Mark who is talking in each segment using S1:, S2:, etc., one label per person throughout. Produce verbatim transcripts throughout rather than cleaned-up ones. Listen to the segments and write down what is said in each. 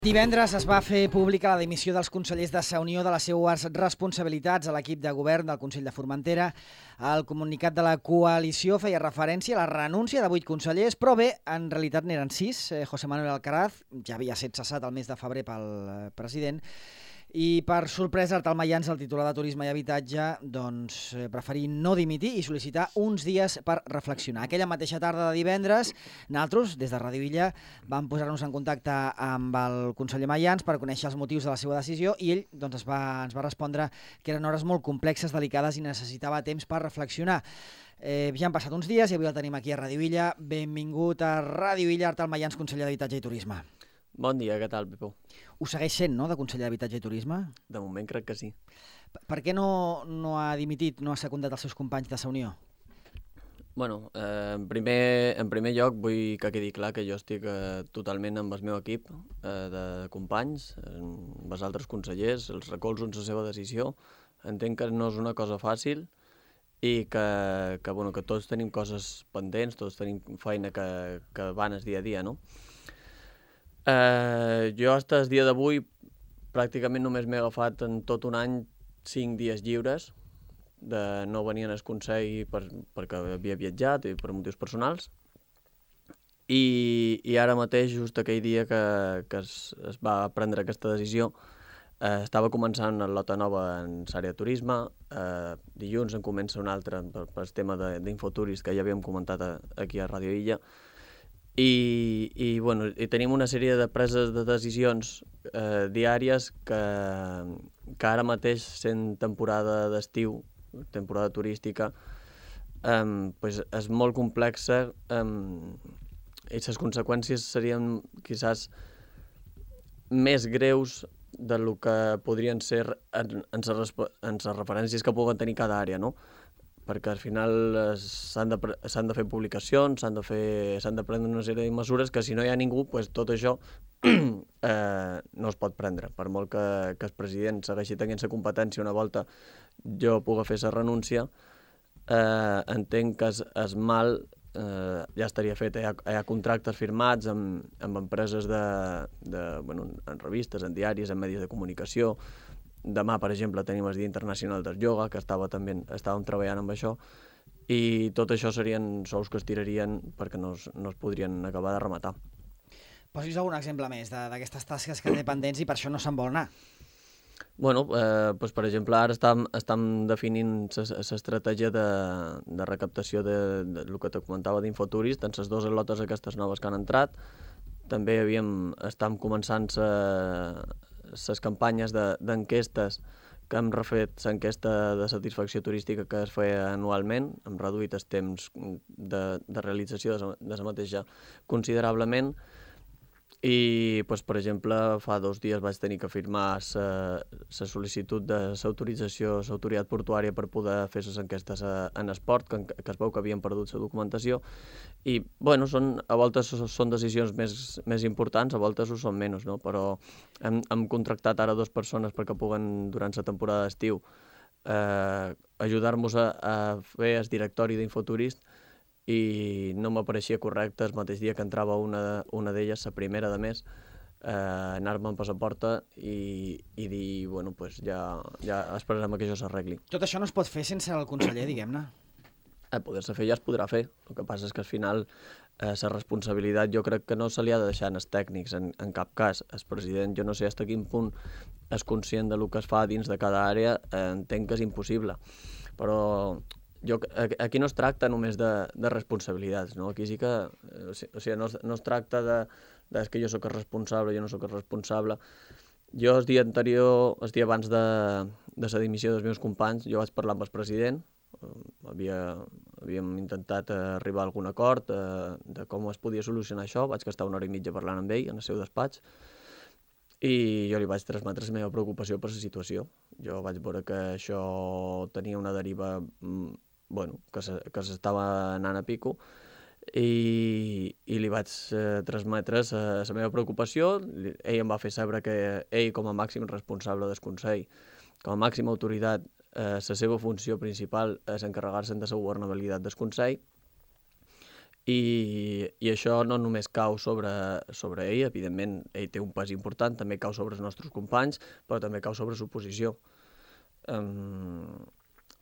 S1: Divendres es va fer pública la dimissió dels consellers de Sa Unió de les seues responsabilitats a l'equip de govern del Consell de Formentera. El comunicat de la coalició feia referència a la renúncia de vuit consellers, però bé, en realitat n'eren sis. José Manuel Alcaraz ja havia estat cessat el mes de febrer pel president i, per sorpresa, Artal Mayans, el titular de Turisme i Habitatge, doncs preferí no dimitir i sol·licitar uns dies per reflexionar. Aquella mateixa tarda de divendres, nosaltres, des de Ràdio Illa, vam posar-nos en contacte amb el conseller Mayans per conèixer els motius de la seva decisió i ell doncs, es va, ens va respondre que eren hores molt complexes, delicades i necessitava temps per reflexionar. Eh, ja han passat uns dies i avui el tenim aquí a Ràdio Illa. Benvingut a Ràdio Illa, Artal Mayans, conseller d'Habitatge i Turisme.
S2: Bon dia, què tal, Pepó?
S1: Ho segueix sent, no?, de conseller d'Habitatge i Turisme?
S2: De moment crec que sí.
S1: Per, per què no, no ha dimitit, no ha secundat els seus companys de Sa Unió?
S2: Bueno, eh, en, primer, en primer lloc vull que quedi clar que jo estic eh, totalment amb el meu equip eh, de companys, amb els altres consellers, els recolzo en la seva decisió. Entenc que no és una cosa fàcil i que, que, bueno, que tots tenim coses pendents, tots tenim feina que, que van el dia a dia, no? Eh, jo fins al dia d'avui pràcticament només m'he agafat en tot un any cinc dies lliures de no venir al Consell per, perquè havia viatjat i per motius personals i, i ara mateix, just aquell dia que, que es, es va prendre aquesta decisió, eh, estava començant la lota nova en l'àrea de turisme, eh, dilluns en comença una altra per, per el tema d'Infoturis que ja havíem comentat a, aquí a Ràdio Illa. I, i, bueno, i tenim una sèrie de preses de decisions eh, diàries que, que ara mateix, sent temporada d'estiu, temporada turística, eh, pues és molt complexa eh, i les conseqüències serien quizás més greus del que podrien ser en, en, les, en les referències que puguen tenir cada àrea, no? Perquè al final s'han de, s'han de fer publicacions, s'han de, fer, s'han de prendre una sèrie de mesures que si no hi ha ningú, pues tot això eh, no es pot prendre. Per molt que, que el president segueixi tenint la competència una volta jo pugui fer la renúncia, eh, entenc que es, es mal eh, ja estaria fet. Hi ha, hi ha contractes firmats amb, amb empreses de, de, bueno, en revistes, en diaris, en medis de comunicació. Demà, per exemple, tenim el Dia Internacional del Yoga, que estava també, estàvem treballant amb això, i tot això serien sous que es tirarien perquè no es, no es podrien acabar de rematar.
S1: Posi'ns algun exemple més d'aquestes tasques que té pendents i per això no se'n vol anar.
S2: Bueno, eh, doncs, per exemple, ara estem, estem definint l'estratègia de, de recaptació de, de, de, del que te comentava d'Infoturis, en les dues lotes aquestes noves que han entrat. També havíem, estem començant la les campanyes d'enquestes que hem refet l'enquesta de satisfacció turística que es feia anualment, hem reduït el temps de, de realització de la mateixa considerablement i, doncs, per exemple, fa dos dies vaig tenir que firmar la sol·licitud de l'autorització, l'autoritat portuària per poder fer les enquestes en esport, que, que es veu que havien perdut la documentació i, bueno, són, a voltes són decisions més, més importants, a voltes ho són menys, no? Però hem, hem contractat ara dues persones perquè puguen, durant la temporada d'estiu, eh, ajudar-nos a, a fer el directori d'Infoturist i no m'apareixia correcte el mateix dia que entrava una, una d'elles, la primera de més, eh, anar-me'n per la porta i, i dir, bueno, pues ja, ja esperarem que això s'arregli.
S1: Tot això no es pot fer sense el conseller, diguem-ne.
S2: Eh, poder-se fer ja es podrà fer. El que passa és que al final eh, la responsabilitat jo crec que no se li ha de deixar als tècnics en, en cap cas. El president, jo no sé fins a quin punt és conscient del que es fa dins de cada àrea, eh, entenc que és impossible. Però jo, aquí no es tracta només de, de responsabilitats, no? Aquí sí que, o sigui, no es, no es tracta de, de que jo sóc el responsable, jo no sóc el responsable. Jo el dia anterior, el dia abans de, de la dimissió dels meus companys, jo vaig parlar amb el president, havia, havíem intentat arribar a algun acord eh, de com es podia solucionar això, vaig estar una hora i mitja parlant amb ell en el seu despatx i jo li vaig transmetre la meva preocupació per la situació. Jo vaig veure que això tenia una deriva, bueno, que s'estava anant a pico i, i li vaig eh, transmetre la meva preocupació. Ell em va fer saber que ell, com a màxim responsable del Consell, com a màxima autoritat, la eh, seva funció principal és encarregar-se de la governabilitat del Consell i, i això no només cau sobre, sobre ell, evidentment ell té un pes important, també cau sobre els nostres companys, però també cau sobre l'oposició. Um,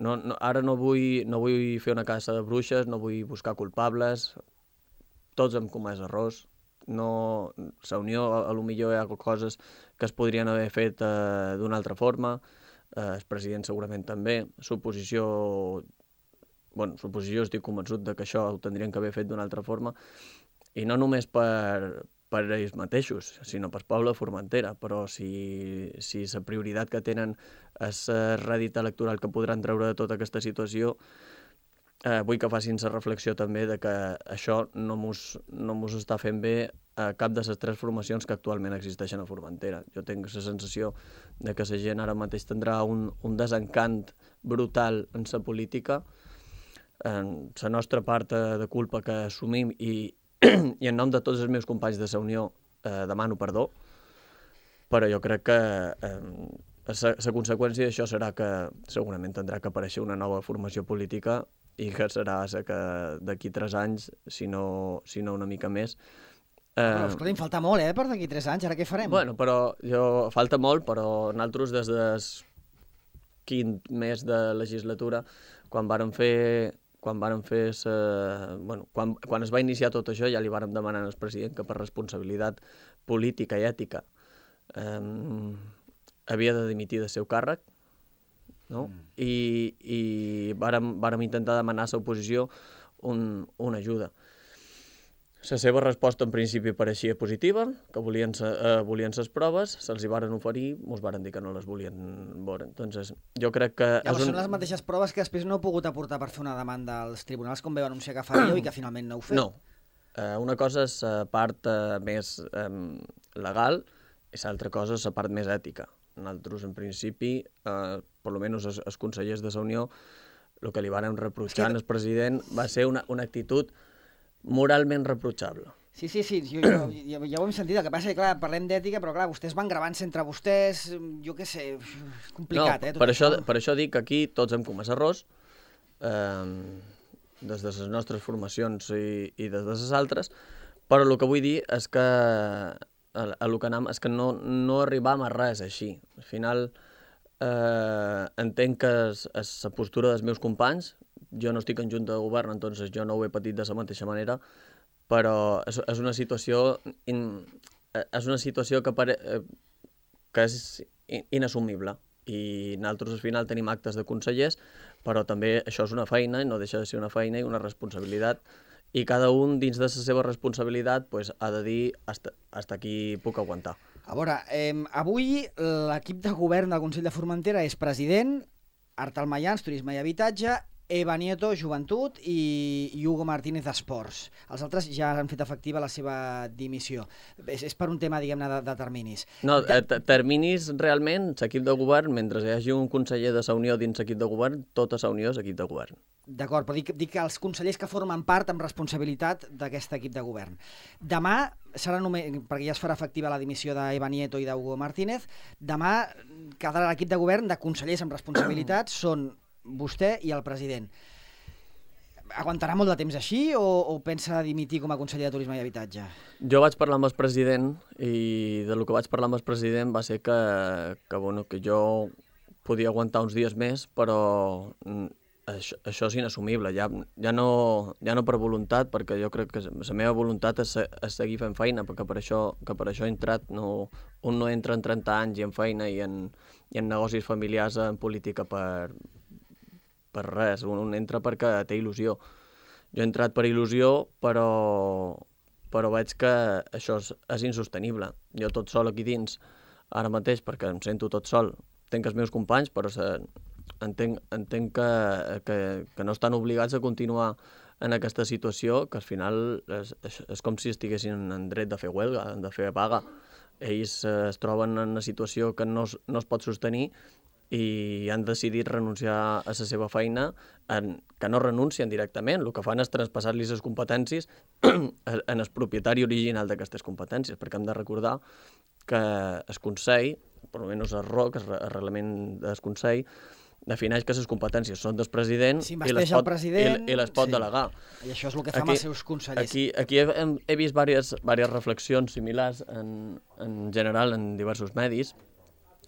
S2: no, no, ara no vull, no vull fer una caça de bruixes, no vull buscar culpables, tots hem comès errors. No, la Unió, a lo millor hi ha coses que es podrien haver fet eh, d'una altra forma, eh, el president segurament també, l'oposició, bueno, l'oposició estic convençut de que això ho tindrien que haver fet d'una altra forma, i no només per, per ells mateixos, sinó per poble de Formentera, però si, si la prioritat que tenen és el rèdit electoral que podran treure de tota aquesta situació, Eh, vull que facin la reflexió també de que això no mos, no mos està fent bé a cap de les tres formacions que actualment existeixen a Formentera. Jo tinc la sensació de que la gent ara mateix tindrà un, un desencant brutal en la política, en la nostra part de culpa que assumim i, i en nom de tots els meus companys de la Unió eh, demano perdó, però jo crec que eh, la conseqüència d'això serà que segurament tindrà que aparèixer una nova formació política i que serà la que d'aquí tres anys, si no, si no una mica més.
S1: Eh... Però, escolta, em falta molt, eh, per d'aquí tres anys, ara què farem?
S2: Bueno, però jo, falta molt, però nosaltres des del quint mes de legislatura, quan vàrem fer, quan vàrem fer sa, bueno, quan, quan es va iniciar tot això, ja li vàrem demanar al president que per responsabilitat política i ètica eh, havia de dimitir del seu càrrec, no? Mm. I, i vàrem, vàrem intentar demanar a l'oposició un, una ajuda. La seva resposta en principi pareixia positiva, que volien, eh, volien les proves, se'ls hi varen oferir, ens varen dir que no les volien veure. Entonces, jo crec que...
S1: Llavors un... són les mateixes proves que després no heu pogut aportar per fer una demanda als tribunals, com vau anunciar que faríeu i que finalment no heu fet.
S2: No. Eh, una cosa és la part eh, més eh, legal i l'altra cosa és la part més ètica. Nosaltres, en principi, eh, per almenys els, els consellers de la Unió, el que li varen reprotxar al president va ser una, una actitud moralment reprotxable.
S1: Sí, sí, sí, jo, jo, ja, ja ho hem sentit, el que passa és que, clar, parlem d'ètica, però, clar, vostès van gravant-se entre vostès, jo què sé, és complicat,
S2: no,
S1: eh? Tot
S2: per, això,
S1: això.
S2: per això dic que aquí tots hem comès errors, eh, des de les nostres formacions i, i des de les altres, però el que vull dir és que a, a lo que anem, és que no, no arribam a res així. Al final, eh, entenc que és, és la postura dels meus companys, jo no estic en junta de govern, entonces jo no ho he patit de la mateixa manera, però és, és una situació in, és una situació que, pare, que és inassumible, i nosaltres al final tenim actes de consellers, però també això és una feina, i no deixa de ser una feina i una responsabilitat, i cada un dins de la seva responsabilitat pues, ha de dir hasta, hasta aquí puc aguantar.
S1: A veure, eh, avui l'equip de govern del Consell de Formentera és president, Artal Mayans, Turisme i Habitatge, Eva Nieto, Joventut, i, i Hugo Martínez, Esports. Els altres ja han fet efectiva la seva dimissió. És, és per un tema, diguem-ne, de, de terminis.
S2: No, eh, terminis realment, l'equip de govern, mentre hi hagi un conseller de la Unió dins l'equip de govern, tota la Unió és equip de govern.
S1: D'acord, però dic, dic que els consellers que formen part amb responsabilitat d'aquest equip de govern. Demà serà només, perquè ja es farà efectiva la dimissió d'Eva Nieto i d'Hugo Martínez, demà quedarà l'equip de govern de consellers amb responsabilitat, són vostè i el president. Aguantarà molt de temps així o, o pensa dimitir com a conseller de Turisme i Habitatge?
S2: Jo vaig parlar amb el president i de lo que vaig parlar amb el president va ser que, que, bueno, que jo podia aguantar uns dies més, però això, això és inassumible, ja, ja, no, ja no per voluntat, perquè jo crec que la meva voluntat és, és seguir fent feina, perquè per això, que per això he entrat, no, un no entra en trenta anys i en feina i en, i en negocis familiars, en política per... per res, un entra perquè té il·lusió. Jo he entrat per il·lusió, però, però veig que això és, és insostenible. Jo tot sol aquí dins, ara mateix, perquè em sento tot sol, tenc els meus companys, però se, entenc, entenc que, que, que no estan obligats a continuar en aquesta situació, que al final és, és, és com si estiguessin en dret de fer huelga, de fer vaga. Ells es troben en una situació que no es, no es pot sostenir i han decidit renunciar a la seva feina, en, que no renuncien directament, el que fan és traspassar-li les competències en el propietari original d'aquestes competències, perquè hem de recordar que el Consell, per almenys el R O C, el reglament del Consell, defineix que les competències són del president i les pot,
S1: president,
S2: i, i les pot
S1: sí.
S2: delegar.
S1: I això és el que fa aquí, amb els seus consellers.
S2: Aquí, aquí he, he vist diverses, diverses reflexions similars en, en general en diversos medis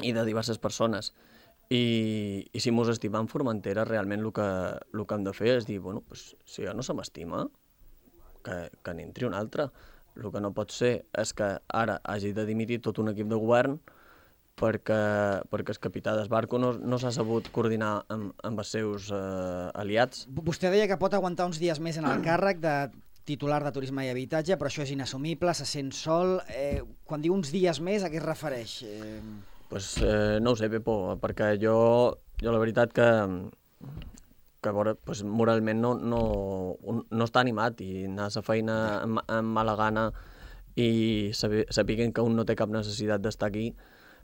S2: i de diverses persones. I, i si mos estimam Formentera, realment el que, el que hem de fer és dir, bueno, pues, si ja no se m'estima, que, que n'entri un altre. El que no pot ser és que ara hagi de dimitir tot un equip de govern perquè, perquè el capità del barco no, no s'ha sabut coordinar amb, amb els seus eh, aliats.
S1: Vostè deia que pot aguantar uns dies més en el càrrec de titular de Turisme i Habitatge, però això és inassumible, se sent sol. Eh, quan diu uns dies més, a què es refereix? Eh...
S2: Pues, eh, no ho sé, Pepo, perquè jo, jo la veritat que, que veure, pues, moralment no, no, no està animat i anar a la feina amb, amb mala gana i sapiguen que un no té cap necessitat d'estar aquí,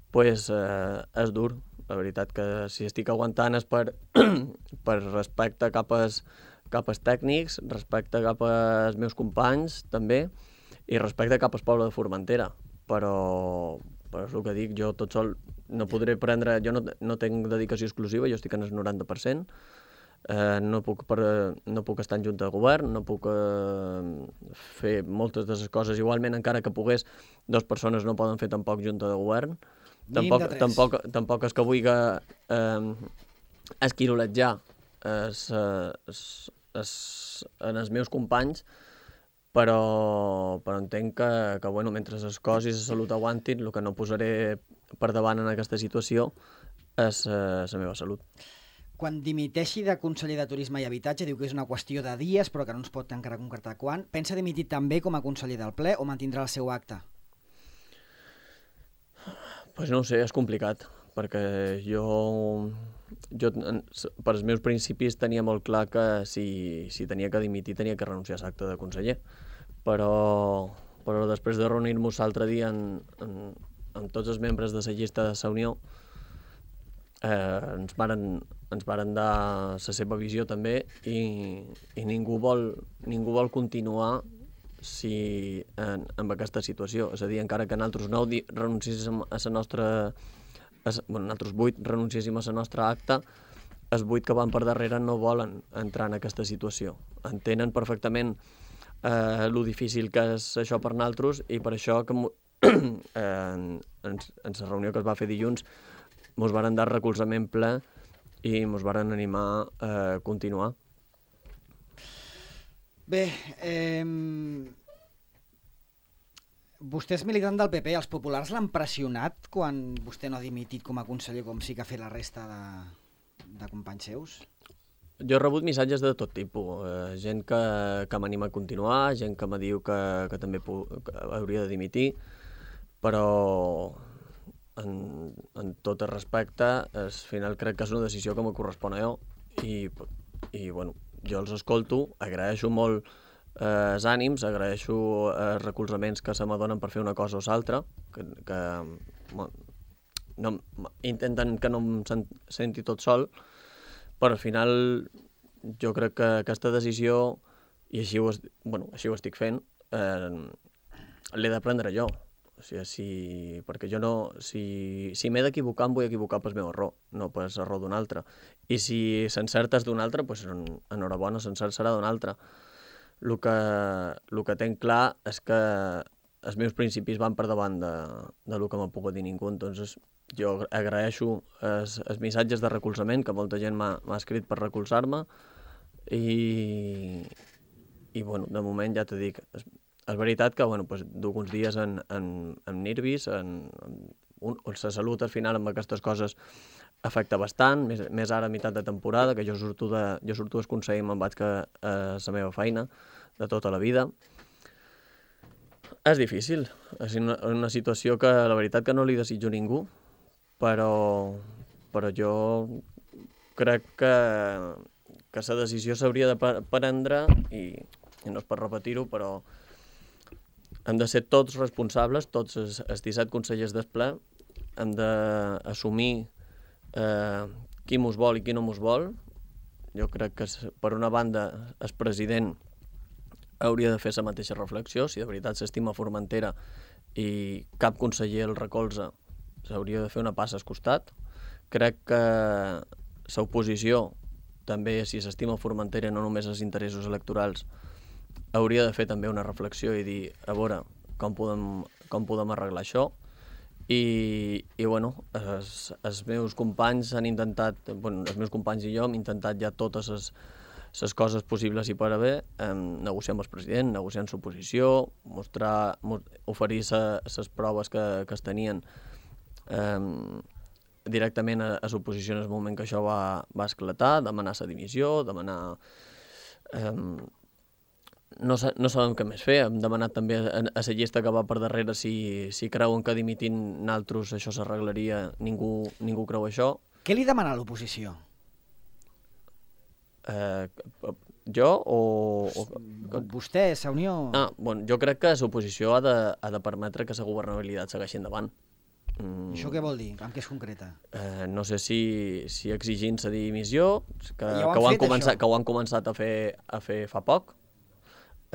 S2: pues, eh, és dur. La veritat que si estic aguantant és per, per respecte cap als, cap als tècnics, respecte cap als meus companys, també, i respecte cap al poble de Formentera. Però, però és el que dic, jo tot sol no podré prendre... Jo no, no tinc dedicació exclusiva, jo estic en el noranta per cent, eh, no, puc per, no puc estar en junta de govern, no puc eh, fer moltes de les coses. Igualment, encara que pogués, dues persones no poden fer tampoc junta de govern. Tampoc, tampoc, tampoc és que vulgui eh, esquiroletjar es, es, es, en els meus companys, però, però entenc que, que bueno, mentre les coses i la salut aguantin, el que no posaré per davant en aquesta situació és eh, la meva salut.
S1: Quan dimiteixi de conseller de Turisme i Habitatge, diu que és una qüestió de dies, però que no ens pot encara concretar quan, pensa dimitir també com a conseller del ple o mantindrà el seu acte?
S2: Pues no ho sé, és complicat, perquè jo, jo per als meus principis tenia molt clar que si, si tenia que dimitir tenia que renunciar a l'acte de conseller, però, però després de reunir-nos l'altre dia en, en, amb tots els membres de la llista de la Unió, eh, ens varen, ens varen dar la seva visió també i, i ningú vol, ningú vol continuar si en, en aquesta situació. És a dir, encara que nosaltres nou renunciéssim a la nostra... A, bueno, nosaltres vuit renunciéssim a la nostra acta, els vuit que van per darrere no volen entrar en aquesta situació. Entenen perfectament eh, lo difícil que és això per nosaltres i per això que eh, en, en, en la reunió que es va fer dilluns mos varen dar recolzament ple i mos varen animar a continuar.
S1: Bé, eh, vostè és militant del P P. Els populars l'han pressionat quan vostè no ha dimitit com a conseller, com sí que ha fet la resta de, de companys seus?
S2: Jo he rebut missatges de tot tipus. Eh, gent que, que m'anima a continuar, gent que me diu que, que també pu- que hauria de dimitir, però en, en tot el respecte, al final crec que és una decisió que me correspon a jo i, i bueno, jo els escolto, agraeixo molt eh, els ànims, agraeixo els recolzaments que se m'adonen per fer una cosa o l'altra, que, que no, intenten que no em senti tot sol, però al final jo crec que aquesta decisió, i així ho, bueno, així ho estic fent, eh, l'he de prendre jo. O sigui, si, perquè jo no, si, si m'he d'equivocar, em vull equivocar pel meu error, no per l'error d'un altre. I si s'encerta és d'un altre, doncs enhorabona, s'encert serà d'un altre. El que, el que tenc clar és que els meus principis van per davant de, de lo que m'ha pogut dir ningú. Entonces, jo agraeixo els, els missatges de recolzament, que molta gent m'ha escrit per recolzar-me, i, i bueno, de moment ja t'ho dic, és, és veritat que bueno, pues, duc uns dies en, en, en nervis, en, en, un, la salut al final amb aquestes coses afecta bastant, més, més ara a meitat de temporada, que jo surto, de, jo surto del Consell i me'n vaig a, a la meva feina de tota la vida. És difícil, és una, una situació que la veritat que no li desitjo a ningú, però, però jo crec que, que la decisió s'hauria de prendre, i, i no és per repetir-ho, però hem de ser tots responsables, tots els, els disset consellers del ple, hem d'assumir eh, qui mos vol i qui no mos vol. Jo crec que, per una banda, el president hauria de fer la mateixa reflexió, si de veritat s'estima Formentera i cap conseller el recolza, s'hauria de fer una passa al costat. Crec que l'oposició, també si s'estima Formentera no només els interessos electorals, hauria de fer també una reflexió i dir, a veure, com podem, com podem arreglar això. I, i bueno, els, els meus companys han intentat, bueno, els meus companys i jo hem intentat ja totes les, les coses possibles i per haver, eh, negociar amb el president, negociar amb l'oposició, mostrar, oferir les proves que, que es tenien eh, directament a, a l'oposició en el moment que això va, va esclatar, demanar la dimissió, demanar... Eh, no, no sabem què més fer, hem demanat també a, a la llista que va per darrere si, si creuen que dimitint naltros això s'arreglaria, ningú, ningú creu això.
S1: Què li demana a l'oposició?
S2: Eh, jo o... o...
S1: Vostè, la Unió...
S2: Ah, bueno, jo crec que l'oposició ha, de, ha de permetre que la governabilitat segueixi endavant.
S1: Mm. Això què vol dir? En què es concreta?
S2: Eh, no sé si, si exigint la dimissió, que,
S1: ja ho
S2: que, ho han
S1: fet,
S2: començat, que ho han començat a fer, a fer fa poc.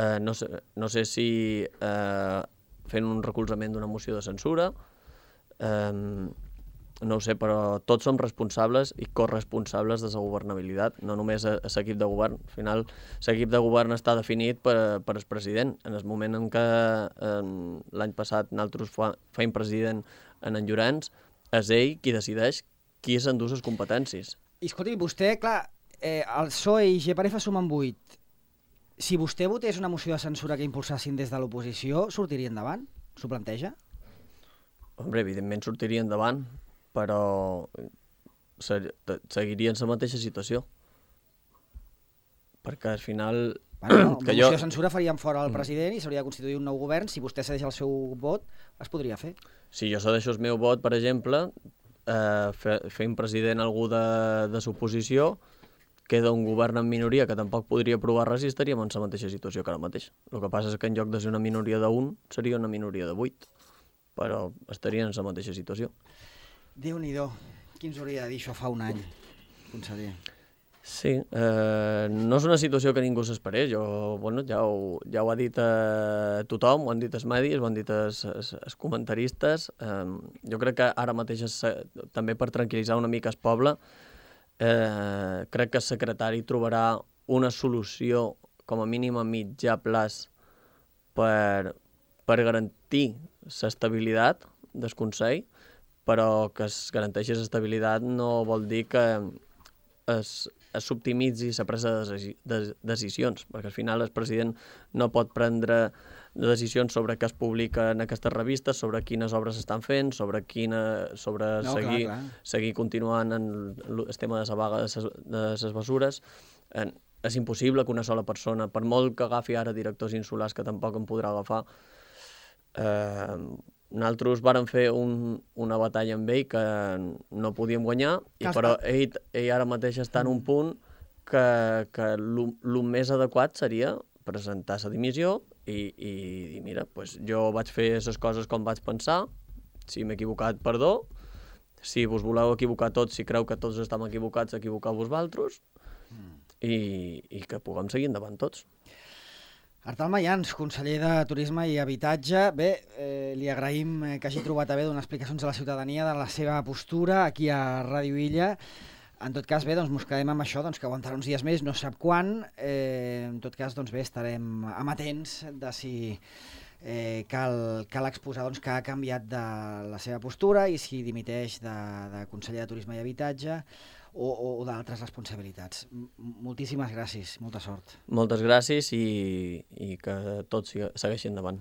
S2: Eh, no, sé, no sé si eh, fent un recolzament d'una moció de censura, eh, no ho sé, però tots som responsables i corresponsables de la governabilitat, no només a, a l'equip de govern. Al final, l'equip de govern està definit per, per el president. En el moment en què eh, l'any passat nosaltres fa, feim president en en Llorenç, és ell qui decideix qui s'endú les competències.
S1: I escolti, vostè, clar, eh, el P S O E i G P R F sumen vuit. Si vostè votés una moció de censura que impulsassin des de l'oposició, sortiria endavant? S'ho planteja?
S2: Hombre, evidentment sortiria endavant, però seguirien la mateixa situació. Perquè al final...
S1: Bueno, no, una moció jo... de censura faríem fora el president i s'hauria de constituir un nou govern. Si vostè cedeix el seu vot, es podria fer.
S2: Si jo cedeixo el meu vot, per exemple, eh, fent president algú de, de l'oposició, queda un govern en minoria que tampoc podria aprovar res i estaríem en la mateixa situació que ara mateix. El que passa és que en lloc de ser una minoria d'un, seria una minoria de vuit, però estarien en la mateixa situació.
S1: Déu-n'hi-do, qui ens hauria de dir això fa un any, conseller?
S2: Sí, eh, no és una situació que ningú s'esperés. Jo, bueno, ja ho, ja ho ha dit eh, tothom, ho han dit els medis, ho han dit els, els, els comentaristes. Eh, jo crec que ara mateix, és, també per tranquil·litzar una mica el poble, Eh, crec que el secretari trobarà una solució com a mínim a mitjà plaç per, per garantir l'estabilitat del Consell, però que es garanteixi l'estabilitat no vol dir que es, es s'optimitzi la presa de, de decisions, perquè al final el president no pot prendre decisions sobre què es publica en aquestes revistes, sobre quines obres s'estan fent, sobre, quina, sobre no, seguir, clar, clar. seguir continuant en el tema de la vaga de ses, de les mesures. Eh, és impossible que una sola persona, per molt que agafi ara directors insulars, que tampoc en podrà agafar, eh, nosaltres vàrem fer un, una batalla amb ell que no podíem guanyar, i, però ell, ell ara mateix està en un punt que, que el més adequat seria presentar la dimissió i, i dir, mira, pues jo vaig fer les coses com vaig pensar, si m'he equivocat, perdó, si vos voleu equivocar tots, si creu que tots estem equivocats, equivocar-vos vosaltres, mm. i, i que puguem seguir endavant tots.
S1: Artal Mayans, conseller de Turisme i Habitatge. Bé, eh, li agraïm que hagi trobat a bé donar explicacions a la ciutadania de la seva postura aquí a Ràdio Illa. En tot cas, bé, doncs mos quedem amb això, doncs, que aguantarà uns dies més, no sap quan. Eh, en tot cas, doncs bé, estarem amatents de si eh, cal, cal exposar doncs, que ha canviat de la seva postura i si dimiteix de, de conseller de Turisme i Habitatge o, o, o d'altres responsabilitats. M moltíssimes gràcies, molta sort.
S2: Moltes gràcies i, i que tot segueixi endavant.